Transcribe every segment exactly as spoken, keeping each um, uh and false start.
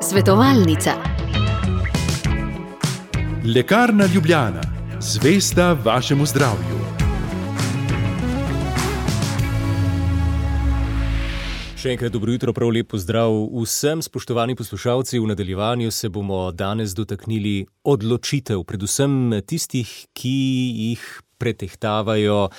Svetovalnica. Lekarna Ljubljana, zvesta vašemu zdravju. Še enkrat dobro jutro, prav lep pozdrav vsem spoštovani poslušalci. V nadaljevanju se bomo danes dotaknili odločitev, predvsem tistih, ki jih pretehtavajo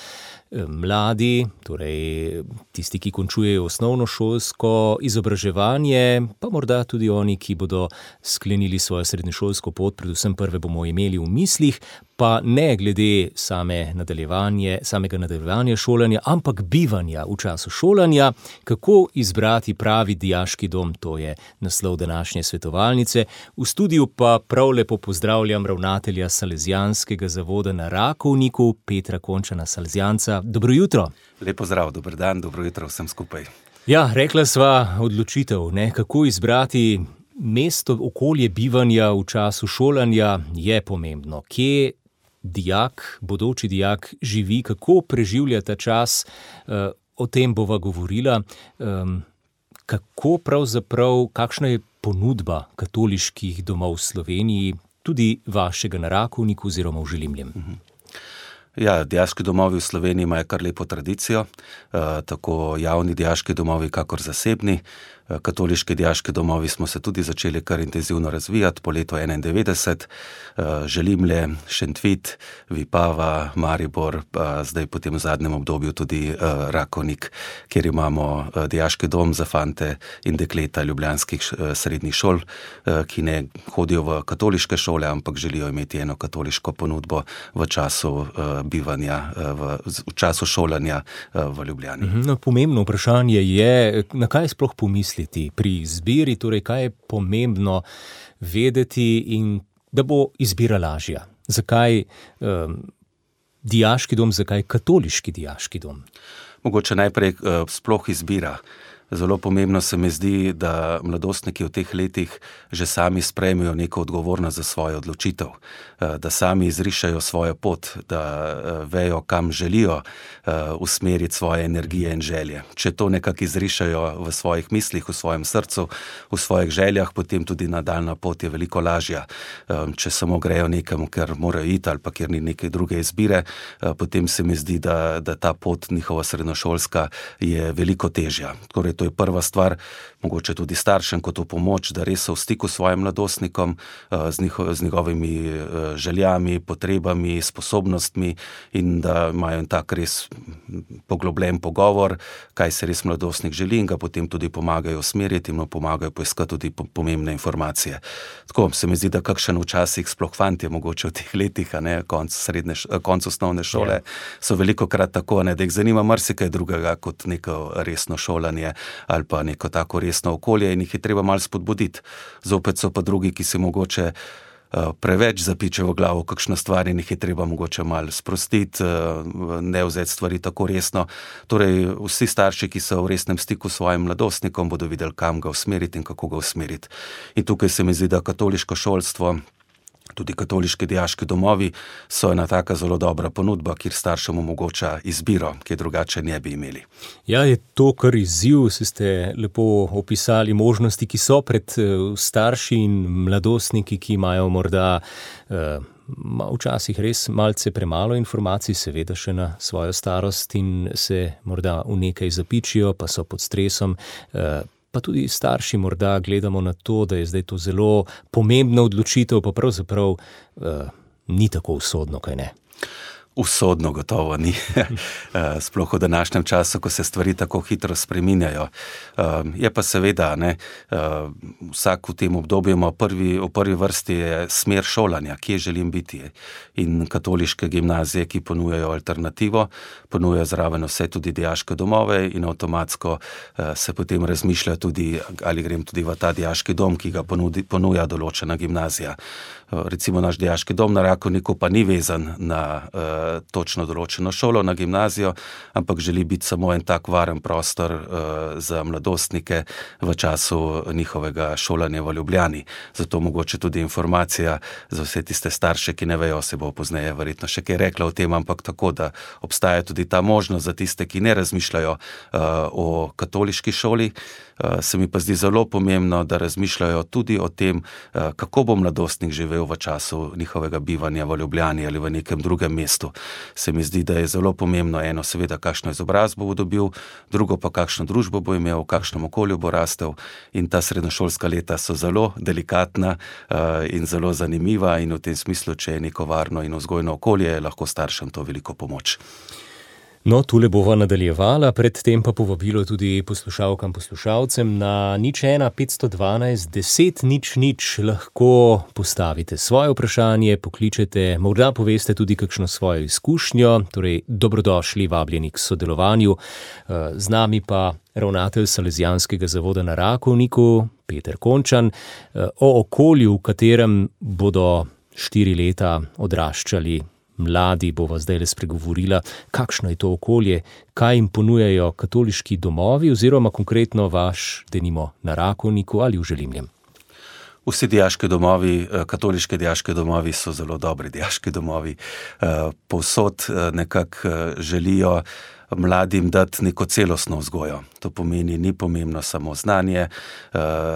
mladi, torej tisti, ki končujejo osnovnošolsko izobraževanje, pa morda tudi oni, ki bodo sklenili svojo srednješolsko pot, predvsem prve bomo imeli v mislih, pa ne glede same nadaljevanje, samega nadaljevanja šolanja, ampak bivanja v času šolanja. Kako izbrati pravi dijaški dom, to je naslov današnje svetovalnice. V studiu pa prav lepo pozdravljam ravnatelja Salezijanskega zavoda na Rakovniku, Petra Končana Salezijanca. Dobro jutro. Lep pozdrav, dober dan, dobro jutro vsem skupaj. Ja, rekla sva odločitev, ne, kako izbrati mesto, okolje bivanja v času šolanja je pomembno. Kje dijak, bodoči dijak živi, kako preživlja ta čas, o tem bova govorila. Kako pravzaprav, kakšna je ponudba katoliških domov v Sloveniji, tudi vašega na Rakovniku oziroma v Želimljem? Ja, dijaški domovi v Sloveniji imajo kar lepo tradicijo, tako javni dijaški domovi, kakor zasebni. Katoliški dijaški domovi smo se tudi začeli kar intenzivno razvijati po letu enaindevetdeset. Želimlje, Šentvit, Vipava, Maribor, pa zdaj potem v zadnjem obdobju tudi Rakovnik, kjer imamo dijaški dom za fante in dekleta ljubljanskih srednjih šol, ki ne hodijo v katoliške šole, ampak želijo imeti eno katoliško ponudbo v času bivanja, v, v času šolanja v Ljubljani. No, pomembno vprašanje je, na kaj sploh pomisliti pri izbiri, torej kaj je pomembno vedeti in da bo izbira lažja. Zakaj um, dijaški dom, zakaj katoliški dijaški dom? Mogoče najprej uh, sploh izbira. Zelo pomembno se mi zdi, da mladostniki v teh letih že sami sprejmejo neko odgovornost za svojo odločitev, da sami izrišajo svojo pot, da vejo, kam želijo usmeriti svoje energije in želje. Če to nekako izrišajo v svojih mislih, v svojem srcu, v svojih željah, potem tudi nadaljna pot je veliko lažja. Če samo grejo nekam, ker morajo iti ali pa ker ni neke druge izbire, potem se mi zdi, da, da ta pot njihova srednjošolska je veliko težja. Torej, to je prva stvar, mogoče tudi staršem kot v pomoč, da res so v stiku s svojim mladostnikom, z, njiho, z njegovimi željami, potrebami, sposobnostmi in da imajo tak res poglobljen pogovor, kaj se res mladostnik želi in ga potem tudi pomagajo usmeriti in mu pomagajo poiskati tudi pomembne informacije. Tako se mi zdi, da kakšen včasih sploh fantje mogoče v teh letih, a ne, konc, srednje, konc osnovne šole, yeah. so veliko krat tako, ne, da jih zanima marsikaj drugega kot neko resno šolanje ali pa neko tako resno okolje in jih je treba malo spodbuditi. Zopet so pa drugi, ki se mogoče uh, preveč zapiče v glavo kakšno stvar in jih je treba mogoče malo sprostiti, uh, ne vzeti stvari tako resno. Torej, vsi starši, ki so v resnem stiku s svojim mladostnikom, bodo videli, kam ga usmeriti in kako ga usmeriti. In tukaj se mi zdi, da katoliško šolstvo, tudi katoliški dijaški domovi so ena taka zelo dobra ponudba, kjer staršem omogoča izbiro, ki je drugače ne bi imeli. Ja, je to kar izziv, se ste lepo opisali možnosti, ki so pred starši in mladostniki, ki imajo morda eh, včasih res malce premalo informacij, seveda še na svojo starost in se morda v nekaj zapičijo, pa so pod stresom. Eh, Pa tudi starši morda gledamo na to, da je zdaj to zelo pomembna odločitev, pa pravzaprav uh, ni tako usodno, kaj ne? Usodno gotovo ni. Sploh v današnjem času, ko se stvari tako hitro spreminjajo. Je pa seveda, ne, vsak v tem obdobju ima prvi, v prvi vrsti je smer šolanja, kje želim biti. In katoliške gimnazije, ki ponujajo alternativo, ponujajo zraven vse tudi dijaške domove in avtomatsko se potem razmišlja tudi, ali grem tudi v ta dijaški dom, ki ga ponudi, ponuja določena gimnazija. Recimo naš dijaški dom na Rakovniku pa ni vezan na točno določeno šolo, na gimnazijo, ampak želi biti samo en tak varen prostor za mladostnike v času njihovega šolanja v Ljubljani. Zato mogoče tudi informacija za vse tiste starše, ki ne vejo, se bo pozneje verjetno še kaj rekla o tem, ampak tako, da obstaja tudi ta možnost za tiste, ki ne razmišljajo o katoliški šoli. Se mi pa zdi zelo pomembno, da razmišljajo tudi o tem, kako bo mladostnik živel v času njihovega bivanja v Ljubljani ali v nekem drugem mestu. Se mi zdi, da je zelo pomembno eno, seveda, kakšno izobrazbo bo dobil, drugo pa kakšno družbo bo imel, v kakšnem okolju bo rastel, in ta srednjošolska leta so zelo delikatna in zelo zanimiva in v tem smislu, če je neko varno in vzgojno okolje, je lahko staršem to veliko pomoč. No, tule bova nadaljevala, predtem pa povabilo tudi poslušalkam, poslušalcem na nič ena petsto dvanajst deset nič nič lahko postavite svoje vprašanje, pokličete, morda poveste tudi kakšno svojo izkušnjo, torej dobrodošli, vabljeni k sodelovanju. Z nami pa ravnatelj Salezijanskega zavoda na Rakovniku, Peter Končan, o okolju, v katerem bodo štiri leta odraščali mladi, bova zdaj le spregovorila, kakšno je to okolje, kaj jim ponujajo katoliški domovi oziroma konkretno vaš, denimo, na Rakovniku ali v Želimljem. Vsi dijaški domovi, katoliški dijaški domovi so zelo dobri dijaški domovi. Povsod nekako želijo mladim dati neko celostno vzgojo. To pomeni, ni pomembno samo znanje,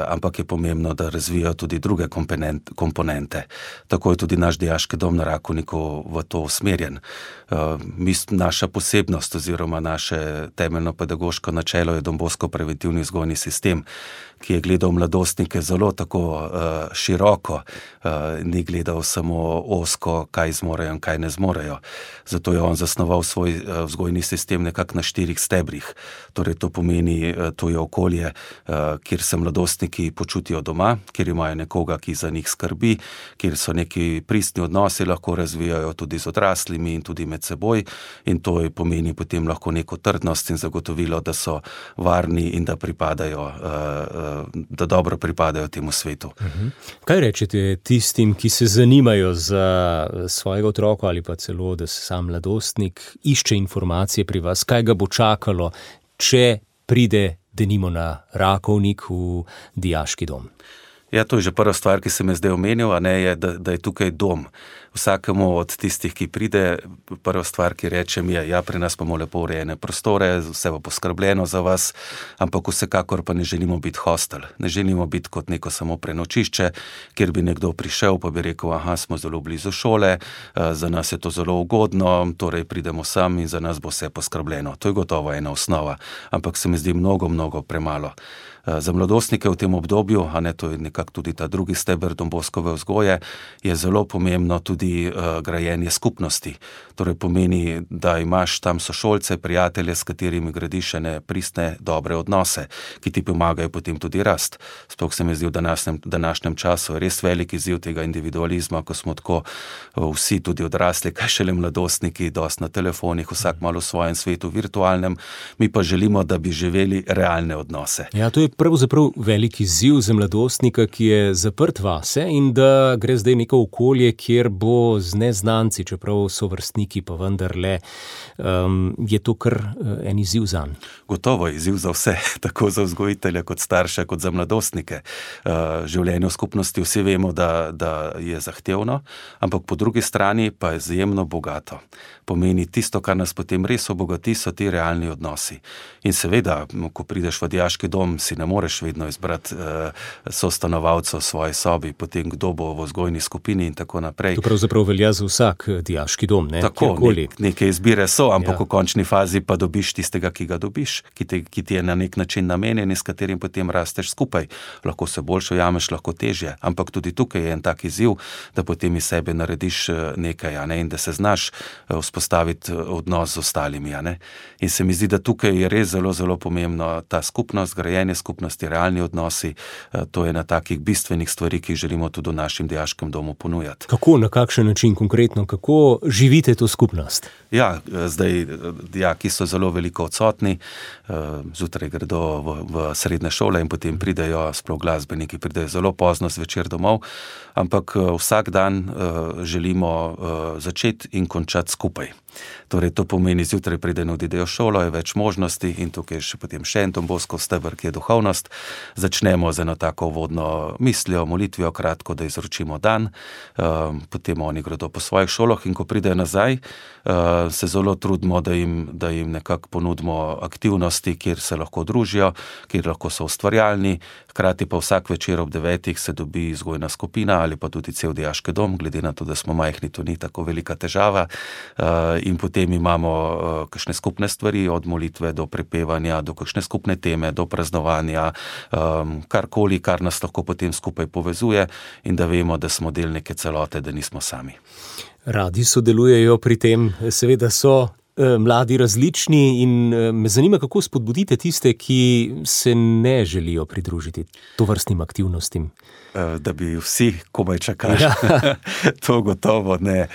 ampak je pomembno, da razvijajo tudi druge komponente. Tako je tudi naš dijaški dom na Rakovniku v to usmerjen. Naša posebnost oziroma naše temeljno pedagoško načelo je Don Bosco preventivni vzgojni sistem, ki je gledal mladostnike zelo tako široko, ni gledal samo ozko, kaj zmorejo in kaj ne zmorejo. Zato je on zasnoval svoj vzgojni sistem nekako na štirih stebrih. Torej to pomeni, to je okolje, kjer se mladostniki počutijo doma, kjer imajo nekoga, ki za njih skrbi, kjer so neki pristni odnosi, lahko razvijajo tudi z odraslimi in tudi med seboj, in to je pomeni potem lahko neko trdnost in zagotovilo, da so varni in da pripadajo, da dobro pripadajo temu svetu. Uh-huh. Kaj rečete tistim, ki se zanimajo za svojega otroka ali pa celo, da se sam mladostnik išče informacije pri vas, kaj ga bo čakalo, če pride denimo na Rakovnik v dijaški dom? Ja, to je že prva stvar, ki sem je zdaj omenil, a ne, je, da, da je tukaj dom. Vsakemu od tistih, ki pride, prva stvar, ki rečem, je, ja, pri nas bomo lepo urejene prostore, vse bo poskrbljeno za vas, ampak vsekakor pa ne želimo biti hostel. Ne želimo biti kot neko samo prenočišče, kjer bi nekdo prišel, pa bi rekel, aha, smo zelo blizu šole, za nas je to zelo ugodno, torej pridemo sem in za nas bo vse poskrbljeno. To je gotovo ena osnova, ampak se mi zdi mnogo, mnogo premalo. Za mladostnike v tem obdobju, a ne, to je nekako tudi ta drugi steber Don Boscove vzgoje, je zelo pomembno tudi uh, grajenje skupnosti. Torej pomeni, da imaš tam sošolce, prijatelje, s katerimi gradiš ene pristne, dobre odnose, ki ti pomagajo potem tudi rast. Sploh se mi zdi v današnjem, današnjem času je res velik izziv tega individualizma, ko smo tako uh, vsi tudi odrasli, kaj šele mladostniki, dosti na telefonih, vsak malo v svojem svetu virtualnem, mi pa želimo, da bi živeli realne odnose. Ja, to je pravzaprav velik izziv za mladostnika, ki je zaprt vase in da gre zdaj neko okolje, kjer bo z neznanci, čeprav so vrstniki, pa vendarle, um, je to kar en izziv zanj. Gotovo je izziv za vse, tako za vzgojitelja, kot starše, kot za mladostnike. Uh, življenje v skupnosti vsi vemo, da, da je zahtevno, ampak po drugi strani pa je izjemno bogato. Pomeni tisto, kar nas potem res obogati, so ti realni odnosi. In seveda, ko prideš v dijaški dom, si ne moreš vedno izbrati uh, sostanovalcev v svoji sobi, potem kdo bo v vzgojni skupini in tako naprej. To pravzaprav velja za vsak dijaški dom, ne? Tako, ne, neke izbire so, ampak ja. V končni fazi pa dobiš tistega, ki ga dobiš, ki, te, ki ti je na nek način namenjen in s katerim potem rasteš skupaj. Lahko se boljše ujameš, lahko težje, ampak tudi tukaj je en tak izziv, da potem iz sebe narediš nekaj, a ne, in da se znaš vzpostaviti odnos z ostalimi, a ne. In se mi zdi, da tukaj je res zelo, zelo pomembno ta skupnost, grajenje skupnosti, skupnosti, realni odnosi. To je ena takih bistvenih stvari, ki jih želimo tudi v našem dijaškem domu ponujati. Kako, na kakšen način konkretno, kako živite to skupnost? Ja, zdaj dijaki so zelo veliko odsotni, zjutraj gredo v, v srednje šole in potem pridejo, sploh glasbeniki pridejo zelo pozno zvečer domov, ampak vsak dan želimo začeti in končati skupaj. Torej, to pomeni, zjutraj pride in odidejo v šolo, je več možnosti in tukaj je še potem še en Don Boscov steber, ki je duhovnost. Začnemo z eno tako uvodno mislijo, molitvijo, kratko, da izročimo dan, potem oni gredo po svojih šolah in ko pridejo nazaj, se zelo trudimo, da jim, da jim nekako ponudimo aktivnosti, kjer se lahko družijo, kjer lahko so ustvarjalni, hkrati pa vsak večer ob devetih se dobi vzgojna skupina ali pa tudi cel dijaški dom, glede na to, da smo majhni, to ni tako velika težava. In potem imamo uh, kakšne skupne stvari, od molitve do prepevanja, do kakšne skupne teme, do praznovanja, um, karkoli, kar nas lahko potem skupaj povezuje in da vemo, da smo del neke celote, da nismo sami. Radi sodelujejo pri tem, seveda so eh, mladi različni in eh, me zanima, kako spodbudite tiste, ki se ne želijo pridružiti tovrstnim aktivnostim. Da bi vsi komaj čakali. Ja. To gotovo ne.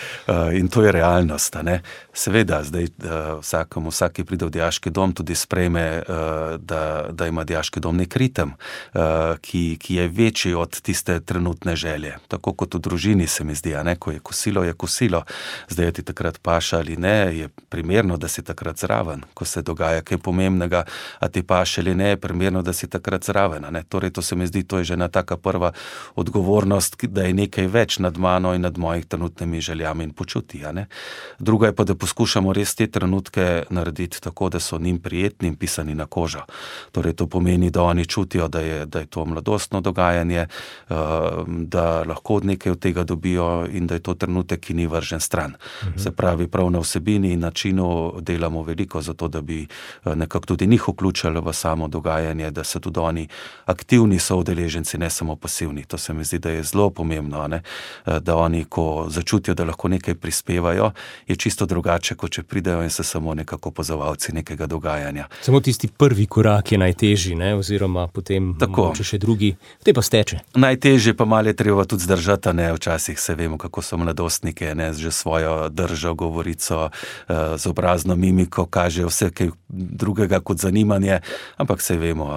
In to je realnost. Ne? Seveda, zdaj vsakom, vsak, ki pride v dijaški dom, tudi sprejme, da, da ima dijaški dom nek ritem, ki, ki je večji od tiste trenutne želje. Tako kot v družini se mi zdi, ne? Ko je kosilo, je kosilo. Zdaj je ti takrat paša ali ne, je primerno, da si takrat zraven. Ko se dogaja kaj pomembnega, a ti paše ali ne, je primerno, da si takrat zraven. Ne? Torej, to se mi zdi, to je že ena taka prva odgovornost, da je nekaj več nad mano in nad mojih trenutnimi željami in počutji. Druga je pa, da poskušamo res te trenutke narediti tako, da so njim prijetni in pisani na kožo. Torej, to pomeni, da oni čutijo, da je, da je to mladostno dogajanje, da lahko od nekaj od tega dobijo in da je to trenutek, ki ni vržen stran. Mhm. Se pravi, prav na vsebini in načinu delamo veliko za to, da bi nekako tudi njih vključili v samo dogajanje, da so tudi oni aktivni soudeleženci, ne samo pasivni. To se mi zdi, da je zelo pomembno, ne? Da oni, ko začutijo, da lahko nekaj prispevajo, je čisto drugače, kot če pridejo in so samo nekako opazovalci nekega dogajanja. Samo tisti prvi korak je najtežji, ne? Oziroma potem mogoče še drugi, te pa steče. Najtežje pa malo je treba tudi zdržati, ne? Včasih se vemo, kako so mladostniki, ne? Že svojo držo, govorico, z obrazno mimiko kažejo vse kaj drugega kot zanimanje, ampak se vemo,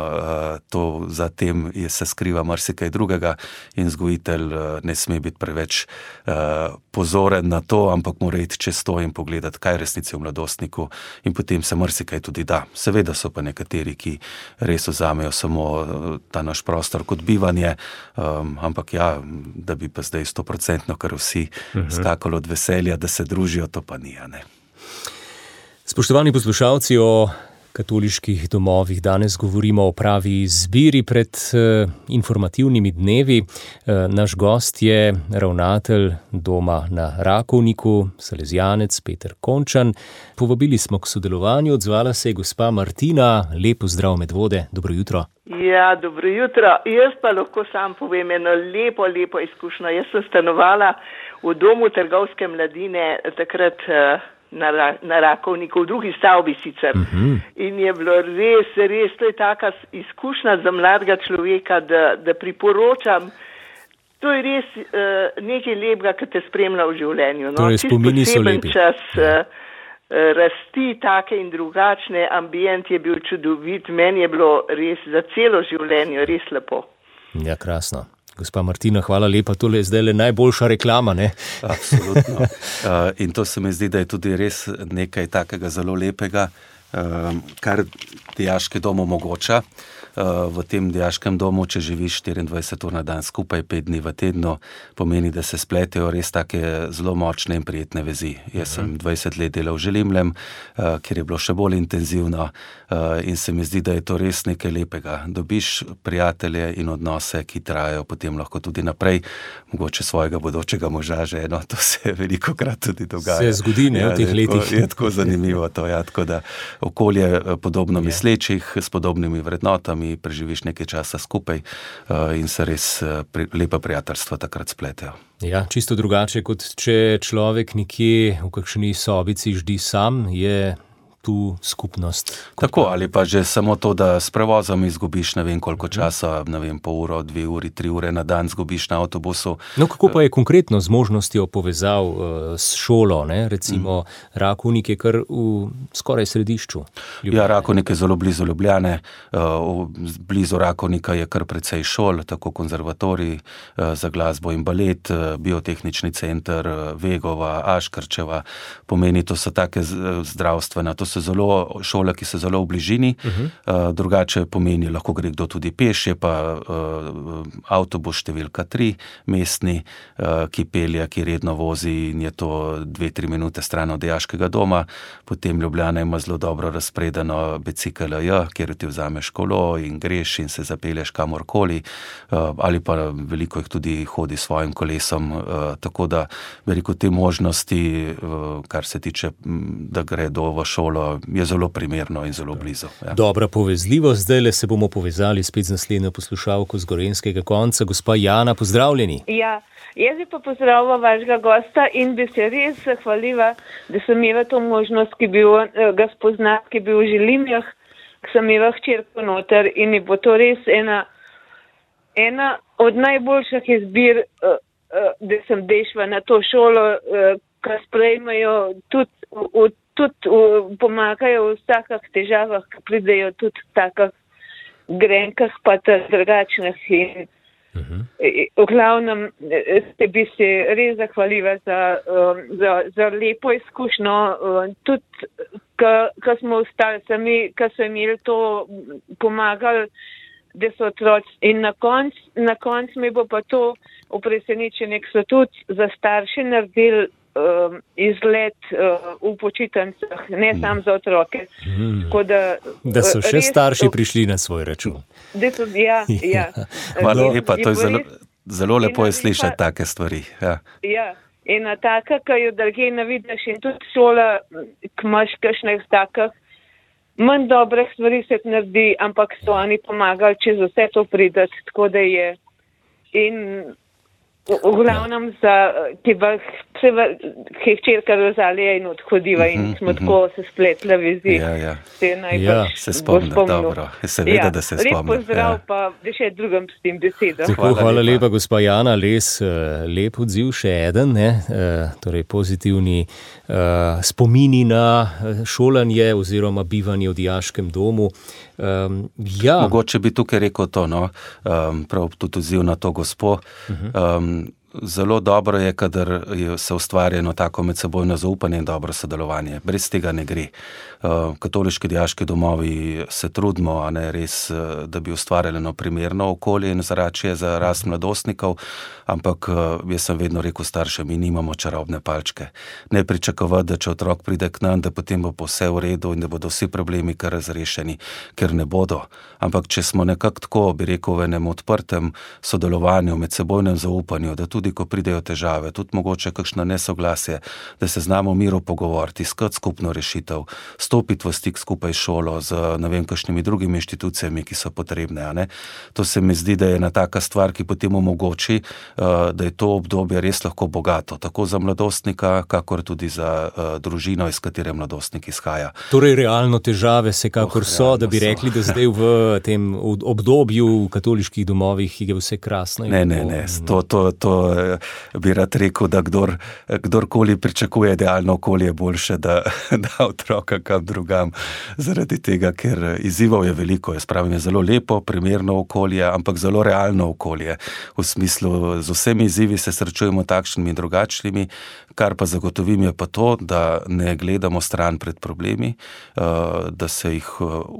to za tem je, se skriva marsikaj drugega in vzgojitelj ne sme biti preveč uh, pozoren na to, ampak mora iti čez to in pogledati, kaj je resnici v mladostniku in potem se marsikaj tudi da. Seveda so pa nekateri, ki res vzamejo samo ta naš prostor kot bivanje, um, ampak ja, da bi pa zdaj stoprocentno kar vsi uh-huh. skakali od veselja, da se družijo, to pa ni, ne. Spoštovani poslušalci, o katoliških domovih danes govorimo o pravi izbiri pred eh, informativnimi dnevi. Eh, naš gost je ravnatelj doma na Rakovniku, salezijanec Peter Končan. Povabili smo k sodelovanju, odzvala se je gospa Martina. Lep pozdrav Medvode, dobro jutro. Ja, dobro jutro. Jaz pa lahko sam povem eno lepo, lepo izkušnjo. Jaz sem stanovala v domu trgovske mladine, takrat eh, Na, na Rakovniku, v drugi stavbi sicer. Uh-huh. In je bilo res, res, to je taka izkušnja za mladega človeka, da, da priporočam. To je res uh, nekaj lepega, ki te spremlja v življenju. No? Torej, spomini so lepi. Čas uh, rasti take in drugačne, ambient je bil čudovit, meni je bilo res za celo življenje res lepo. Ja, krasno. Gospa Martina, hvala lepa, tole je zdaj le najboljša reklama, ne? Absolutno. Uh, in to se mi zdi, da je tudi res nekaj takega zelo lepega, uh, kar dijaški dom omogoča. Uh, v tem dijaškem domu, če živiš štiriindvajset ur na dan skupaj, pet dni v tednu, pomeni, da se spletejo res take zelo močne in prijetne vezi. Jaz sem dvajset let delal v Želimljem, uh, kjer je bilo še bolj intenzivno uh, in se mi zdi, da je to res nekaj lepega. Dobiš prijatelje in odnose, ki trajajo potem lahko tudi naprej, mogoče svojega bodočega moža že eno, to se veliko krat tudi dogaja. Se zgodi, ne, ja, v teh je letih. Tako, je tako zanimivo to, ja, tako da okolje podobno ja. mislečih, s podobnimi vrednotami, preživiš nekaj časa skupaj uh, in se res uh, pri, lepa prijateljstva takrat spletejo. Ja, čisto drugače, kot če človek nekje v kakšni sobici ždi sam, je tu skupnost. Tako, ali pa že samo to, da s prevozom izgubiš ne vem koliko časa, ne vem, pol uro, dve uri, tri ure na dan izgubiš na avtobusu. No, kako pa je konkretno z možnostjo povezav uh, s šolo, ne? Recimo mm. Rakovnik je kar v skoraj središču Ljubljane. Ja, Rakovnik je zelo blizu Ljubljane, uh, blizu Rakovnika je kar precej šol, tako konzervatorij uh, za glasbo in balet, uh, biotehnični center, uh, Vegova, Aškrčeva, pomeni, to so take zdravstvena, to so zelo šole, ki so zelo v bližini, uh-huh. uh, drugače pomeni, lahko gre kdo tudi peš, je pa uh, avtobus številka tri, mestni, uh, ki pelje, ki redno vozi in je to dve, tri minute stran od dijaškega doma, potem Ljubljana ima zelo dobro razpredeno bicikl J, kjer ti vzameš kolo in greš in se zapelješ kamorkoli, uh, ali pa veliko jih tudi hodi s svojim kolesom, uh, tako da veliko te možnosti, uh, kar se tiče, da gredo v šolo, je zelo primerno in zelo blizu. Ja. Dobra povezljivost, zdaj se bomo povezali spet z naslednjo poslušalko z gorenjskega konca. Gospa Jana, pozdravljeni. Ja, jaz bi pa pozdravila vašega gosta in bi se res zahvalila, da sem imela to možnost, ki bi ga spoznati, ki bi v Želimjah, ki sem imela hčerko noter in je bo to res ena, ena od najboljših izbir, da sem dešla na to šolo, ki sprejmejo tudi, v, tudi v, pomagajo v takih težavah, ki pridejo tudi v takih grenkah, pa drugačnih. In uh-huh. v glavnem se bi se res zahvalila za, za, za lepo izkušnjo, tudi ko smo ostali sami, ko so imeli to pomagali, da so otroci. In na koncu na konc mi bo pa to v presenečenju, so tudi za starše naredili Uh, izlet uh, v počitnicah, ne mm. samo za otroke. Mm. Da, da so še res, starši prišli na svoj račun. Da so, ja, ja. Hvala lepa, to je zelo, zelo lepo je slišati take stvari. Ja, ja. Ena taka, ki jo drugje ne vidiš, in tudi šola, ki imaš kakšnih takih, manj dobrih stvari se naredi, ampak so oni pomagali čez vse to pridati, tako da je. In v glavnem za, ki pa se je hčerka Rozalija in odhodiva in smo tako se spletla vizi. Ja, ja. Se najbolj ja, se spomnim, dobro. Seveda, ja, da se spomnim. Lep pozdrav, ja. Pa da še drugim s tem besedom. Tako, hvala, hvala lepa, gospa Jana, res uh, lep odziv, še eden, ne? Uh, torej pozitivni uh, spomini na šolanje oziroma bivanje v dijaškem domu. Um, ja. Mogoče bi tukaj rekel to, no, um, prav tudi odziv na to gospo. Um, Zelo dobro je, kadar je se ustvarjeno tako medsebojno zaupanje in dobro sodelovanje. Brez tega ne gre. Katoliški dijaški domovi se trudimo, a ne res, da bi ustvarjali eno primerno okolje in zračje za rast mladostnikov, ampak jaz sem vedno rekel staršem, mi nimamo čarobne palčke. Ne pričakovati, da če otrok pride k nam, da potem bo vse v redu in da bodo vsi problemi kar razrešeni, ker ne bodo. Ampak če smo nekako tako, bi rekel, v enem odprtem sodelovanju, medsebojnem zaupanju, da tudi ko pridejo težave, tudi mogoče kakšno nesoglasje, da se znamo v miru pogovoriti, iskati skupno rešitev, stopiti v stik skupaj s šolo, z ne vem kakšnimi drugimi inštitucijami, ki so potrebne. A ne? To se mi zdi, da je ena taka stvar, ki potem omogoči, da je to obdobje res lahko bogato, tako za mladostnika, kakor tudi za družino, iz katere mladostnik izhaja. Torej realno težave se kakor oh, so, da bi rekli, da zdaj v tem obdobju v katoliških domovih je vse krasno. Ne, ne, ne, to, to, to bi rad rekel, da kdor, kdorkoli pričakuje idealno okolje, boljše, da, da otroka kam drugam, zaradi tega, ker izzivov je veliko. Jaz pravim, je zelo lepo, primerno okolje, ampak zelo realno okolje. V smislu, z vsemi izzivi se srečujemo takšnimi in drugačnimi, kar pa zagotovim je pa to, da ne gledamo stran pred problemi, da se jih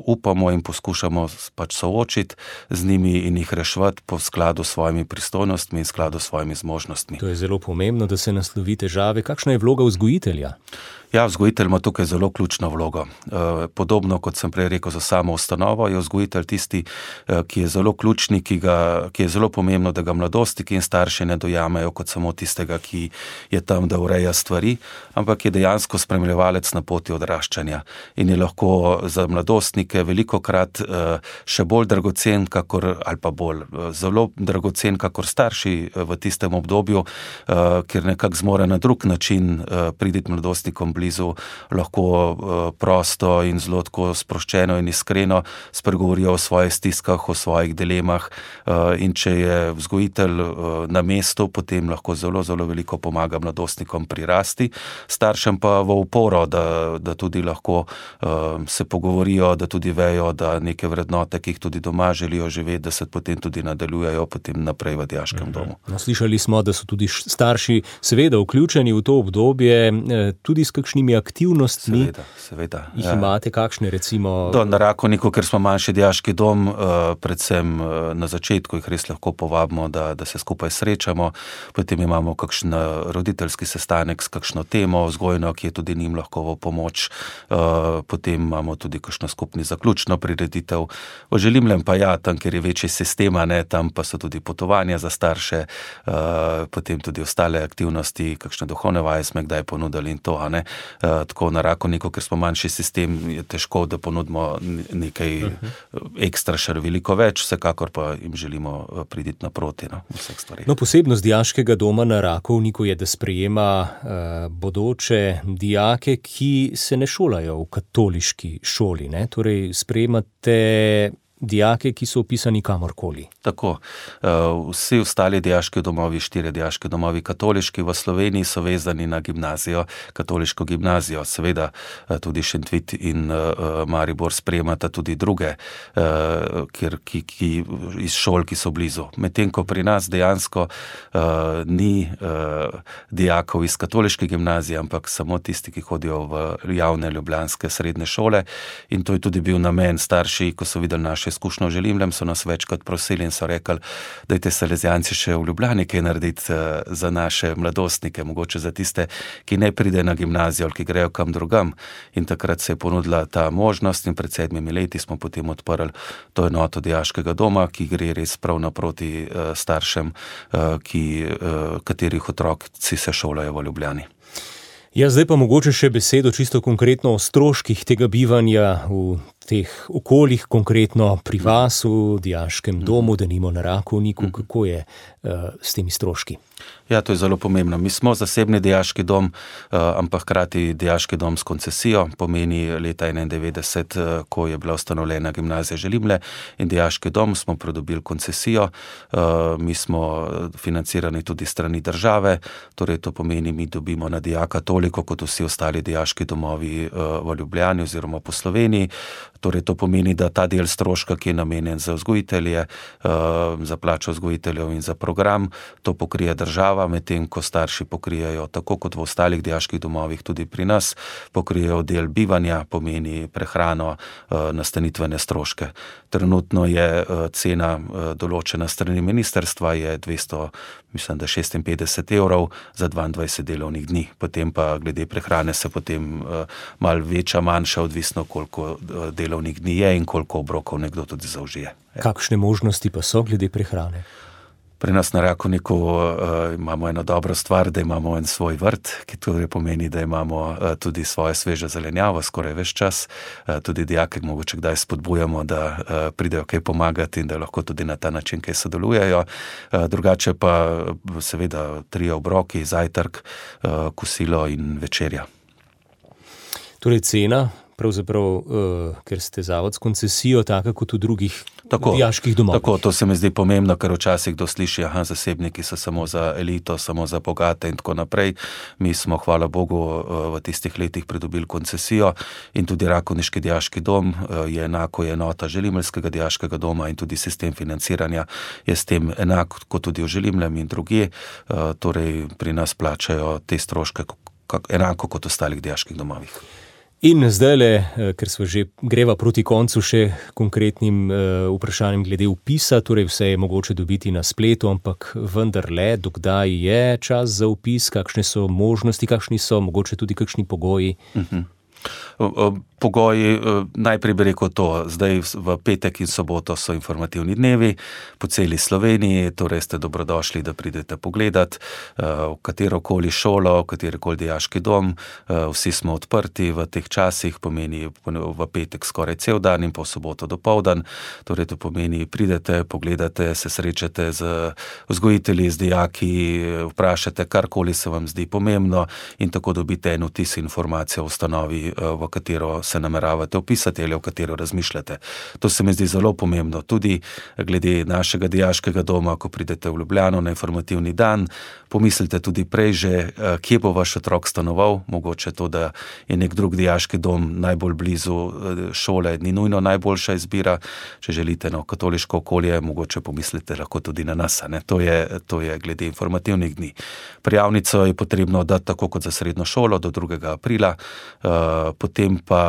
upamo in poskušamo pač soočiti z njimi in jih reševati po skladu s svojimi pristojnostmi in skladu s svojimi zmožnostmi. To je zelo pomembno, da se naslovi težave. Kakšna je vloga vzgojitelja? Ja, vzgojitelj ima tukaj zelo ključno vlogo. Podobno, kot sem prej rekel za samo ustanovo, je vzgojitelj tisti, ki je zelo ključni, ki, ga, ki je zelo pomembno, da ga mladostniki in starši ne dojamejo kot samo tistega, ki je tam, da ureja stvari, ampak je dejansko spremljevalec na poti odraščanja in je lahko za mladostnike velikokrat še bolj dragocen, kakor, ali pa bolj zelo dragocen, kakor starši v tistem obdobju, ker nekako zmore na drug način priditi mladostnikom blizu blizu, lahko prosto in zelo tako sproščeno in iskreno spregovorijo o svojih stiskah, o svojih dilemah, in če je vzgojitelj na mestu, potem lahko zelo, zelo veliko pomaga mladostnikom pri rasti, staršem pa v oporo, da, da tudi lahko se pogovorijo, da tudi vejo, da neke vrednote, ki jih tudi doma želijo živeti, da se potem tudi nadaljujejo potem naprej v dijaškem domu. No, slišali smo, da so tudi starši seveda vključeni v to obdobje, tudi s kakšnimi aktivnostmi. Seveda, seveda. Jih imate kakšne, recimo? Do, na Rakovniku, ker smo manjši dijaški dom, predvsem na začetku jih res lahko povabimo, da, da se skupaj srečamo, potem imamo kakšen roditeljski sestanek s kakšno temo vzgojno, ki je tudi njim lahko v pomoč, potem imamo tudi kakšno skupni zaključno prireditev. V Želimljem pa ja, tam, kjer je večji sistema, ne, tam pa so tudi potovanja za starše, potem tudi ostale aktivnosti, kakšne duhovne vaje smo kdaj ponudili in to, a ne. Tako na Rakovniku, ker smo manjši sistem, je težko, da ponudimo nekaj ekstra še veliko več, vsekakor pa jim želimo priditi naproti, no, v vseh stvarih. No, posebnost dijaškega doma na Rakovniku je, da sprejema uh, bodoče dijake, ki se ne šolajo v katoliški šoli, ne? Torej, sprejemate dijake, ki so upisani kamorkoli. Tako. Vsi ostali dijaški domovi, štiri dijaški domovi katoliški v Sloveniji so vezani na gimnazijo, katoliško gimnazijo. Seveda tudi Šentvid in Maribor sprejemata tudi druge kjer, ki, ki, iz šol, ki so blizu. Medtem ko pri nas dejansko uh, ni uh, dijakov iz katoliške gimnazije, ampak samo tisti, ki hodijo v javne ljubljanske srednje šole. In to je tudi bil namen. Starši, ko so videli naše izkušnjo v Želimljem, so nas večkrat prosili in so rekli, dajte Salezijanci še v Ljubljani kaj narediti za naše mladostnike, mogoče za tiste, ki ne pride na gimnazijo ali ki grejo kam drugam. In takrat se je ponudila ta možnost in pred sedmimi leti smo potem odprli to enoto dijaškega doma, ki gre res prav naproti staršem, ki, katerih otroci se šolajo v Ljubljani. Ja, zdaj pa mogoče še besedo čisto konkretno o stroških tega bivanja v teh okoljih, konkretno pri vas v dijaškem domu, denimo na Rakovniku. Kako je uh, s temi stroški? Ja, to je zelo pomembno. Mi smo zasebni dijaški dom, ampak hkrati dijaški dom s koncesijo, pomeni leta enaindevetdeset, ko je bila ustanovljena gimnazija Želimlje in dijaški dom, smo pridobili koncesijo. Mi smo financirani tudi strani države, torej to pomeni, mi dobimo na dijaka toliko, kot vsi ostali dijaški domovi v Ljubljani oziroma po Sloveniji. Torej to pomeni, da ta del stroška, ki je namenjen za vzgojitelje, za plačo vzgojiteljev in za program, to pokrije država, medtem ko starši pokrijejo, tako kot v ostalih dijaških domovih, tudi pri nas, pokrijejo del bivanja, pomeni prehrano, nastanitvene stroške. Trenutno je cena določena strani ministrstva, je dvesto, mislim, da šestinpetdeset evrov za dvaindvajset delovnih dni. Potem pa glede prehrane se potem malo veča, manjša, odvisno koliko delovnih dni je in koliko obrokov nekdo tudi zaužije. Kakšne možnosti pa so glede prehrane? Pri nas na Rakovniku uh, imamo eno dobro stvar, da imamo en svoj vrt, ki torej pomeni, da imamo uh, tudi svoje sveže zelenjavo skoraj ves čas. Uh, tudi dijake mogoče kdaj spodbujamo, da uh, pridejo kaj pomagati in da lahko tudi na ta način kaj sodelujejo. Uh, drugače pa seveda trije obroki, zajtrk, uh, kosilo in večerja. Torej cena, pravzaprav, uh, ker ste zavod s koncesijo, taka kot v drugih tako, dijaških domovih. Tako, to se mi zdi pomembno, ker včasih kdo sliši, aha, zasebniki so samo za elito, samo za bogate in tako naprej. Mi smo, hvala Bogu, v tistih letih pridobili koncesijo in tudi Rakovniški dijaški dom je enako je enota Želimljskega dijaškega doma in tudi sistem financiranja je s tem enak kot tudi v Želimljem in drugje. Torej pri nas plačajo te stroške enako kot v ostalih dijaških domovih. In zdajle, ker smo že greva proti koncu, še konkretnim uh, vprašanjem glede vpisa, torej vse je mogoče dobiti na spletu, ampak vendarle, dokdaj je čas za vpis, kakšne so možnosti, kakšni so mogoče tudi kakšni pogoji? Uh-huh. pogoji, najprej bi rekel to, zdaj v petek in soboto so informativni dnevi po celi Sloveniji, torej ste dobrodošli, da pridete pogledat v katerokoli šolo, v katerokoli dijaški dom, vsi smo odprti v teh časih, pomeni v petek skoraj cel dan in pa v soboto dopoldan, torej to pomeni pridete, pogledate, se srečate z vzgojitelji, z dijaki, vprašate karkoli se vam zdi pomembno in tako dobite en vtis informacijo o ustanovi, v katero se nameravate vpisati ali v katero razmišljate. To se mi zdi zelo pomembno. Tudi glede našega dijaškega doma, ko pridete v Ljubljano na informativni dan, pomislite tudi prej že, kje bo vaš otrok stanoval, mogoče to, da je nek drug dijaški dom najbolj blizu šole, ni nujno najboljša izbira. Če želite na katoliško okolje, mogoče pomislite lahko tudi na nas. Ne? To je, to je glede informativnih dni. Prijavnico je potrebno dati tako kot za srednjo šolo do drugega aprila, potem pa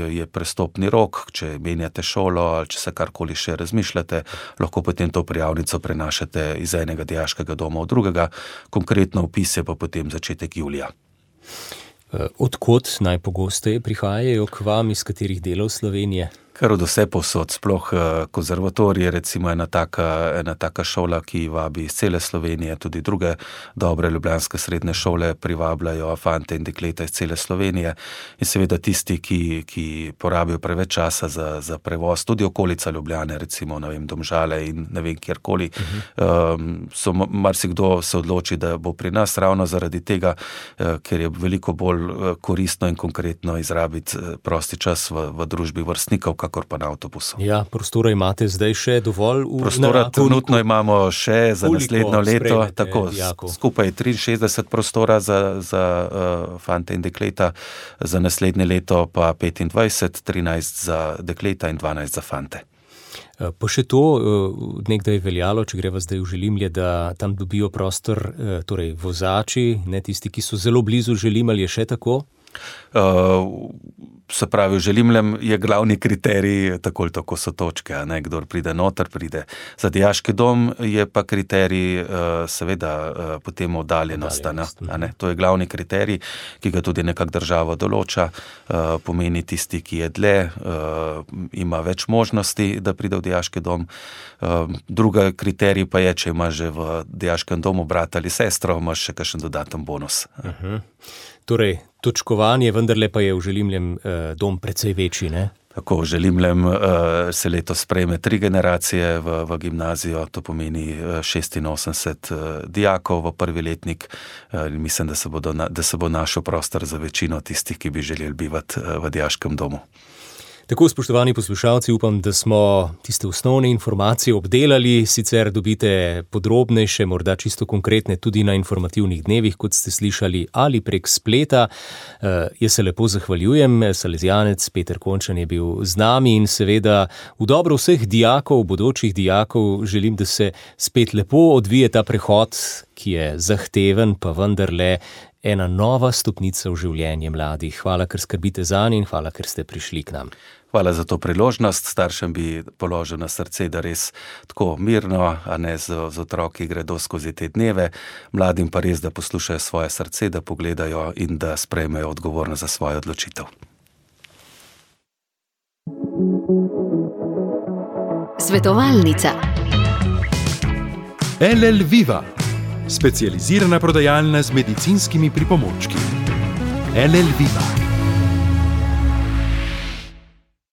je prestopni rok, če menjate šolo ali če se karkoli še razmišljate, lahko potem to prijavnico prenašate iz enega dijaškega doma v drugega, konkretno vpis je pa potem začetek julija. Od kod najpogosteje prihajajo k vam, iz katerih delov Slovenije? Kar od vse povsod, sploh konzervatorij je recimo ena taka, ena taka šola, ki vabi iz cele Slovenije, tudi druge dobre ljubljanske srednje šole privabljajo fante in dekleta iz cele Slovenije in seveda tisti, ki, ki porabijo preveč časa za, za prevoz, tudi okolica Ljubljane, recimo, ne vem, Domžale in ne vem kjerkoli, uh-huh. um, so marsikdo se odloči, da bo pri nas ravno zaradi tega, uh, ker je veliko bolj koristno in konkretno izrabiti prosti čas v, v družbi vrstnikov, kakor pa na avtobusu. Ja, prostora imate zdaj še dovolj v Prostora trenutno imamo še za naslednjo leto, tako, dijakov? Skupaj triinšestdeset prostora za, za uh, fante in dekleta, za naslednje leto pa petindvajset, trinajst za dekleta in dvanajst za fante. Pa še to, nekdaj je veljalo, če greva zdaj v Želimlje, da tam dobijo prostor, torej vozači, ne tisti, ki so zelo blizu Želim, ali je še tako? Uh, se pravi, v Želimljem je glavni kriterij, tako ali tako so točke, ne, kdor pride noter, pride. Za dijaški dom je pa kriterij uh, seveda uh, potem oddaljenost, Oddaljenost. ne, to je glavni kriterij, ki ga tudi nekak država določa, uh, pomeni tisti, ki je dlje, uh, ima več možnosti, da pride v dijaški dom. Uh, druga kriterij pa je, če imaš že v dijaškem domu brata ali sestro, imaš še kakšen dodaten bonus. Uh-huh. Torej, točkovanje vendarle pa je v Želimljem eh, dom precej večji, ne? Tako, v Želimljem uh, se letos sprejme tri generacije v, v gimnazijo, to pomeni šestinosemdeset uh, dijakov v prvi letnik. Uh, mislim, da se, bodo na, da se bo našel prostor za večino tistih, ki bi želeli bivati uh, v dijaškem domu. Tako, spoštovani poslušalci, upam, da smo tiste osnovne informacije obdelali, sicer dobite podrobnejše, morda čisto konkretne tudi na informativnih dnevih, kot ste slišali, ali prek spleta. Uh, jaz se lepo zahvaljujem, salezijanec Peter Končan je bil z nami in seveda v dobro vseh dijakov, bodočih dijakov, želim, da se spet lepo odvije ta prehod, ki je zahteven, pa vendarle ena nova stopnica v življenje mladih. Hvala, ker skrbite zanje in hvala, ker ste prišli k nam. Hvala za to priložnost. Staršem bi položil na srce, da res tako mirno, a ne z, z otroki gredo skozi te dneve. Mladim pa res, da poslušajo svoje srce, da pogledajo in da sprejmejo odgovornost za svojo odločitev. Svetovalnica. L L Viva, specializirana prodajalna z medicinskimi pripomočki. L L Viva.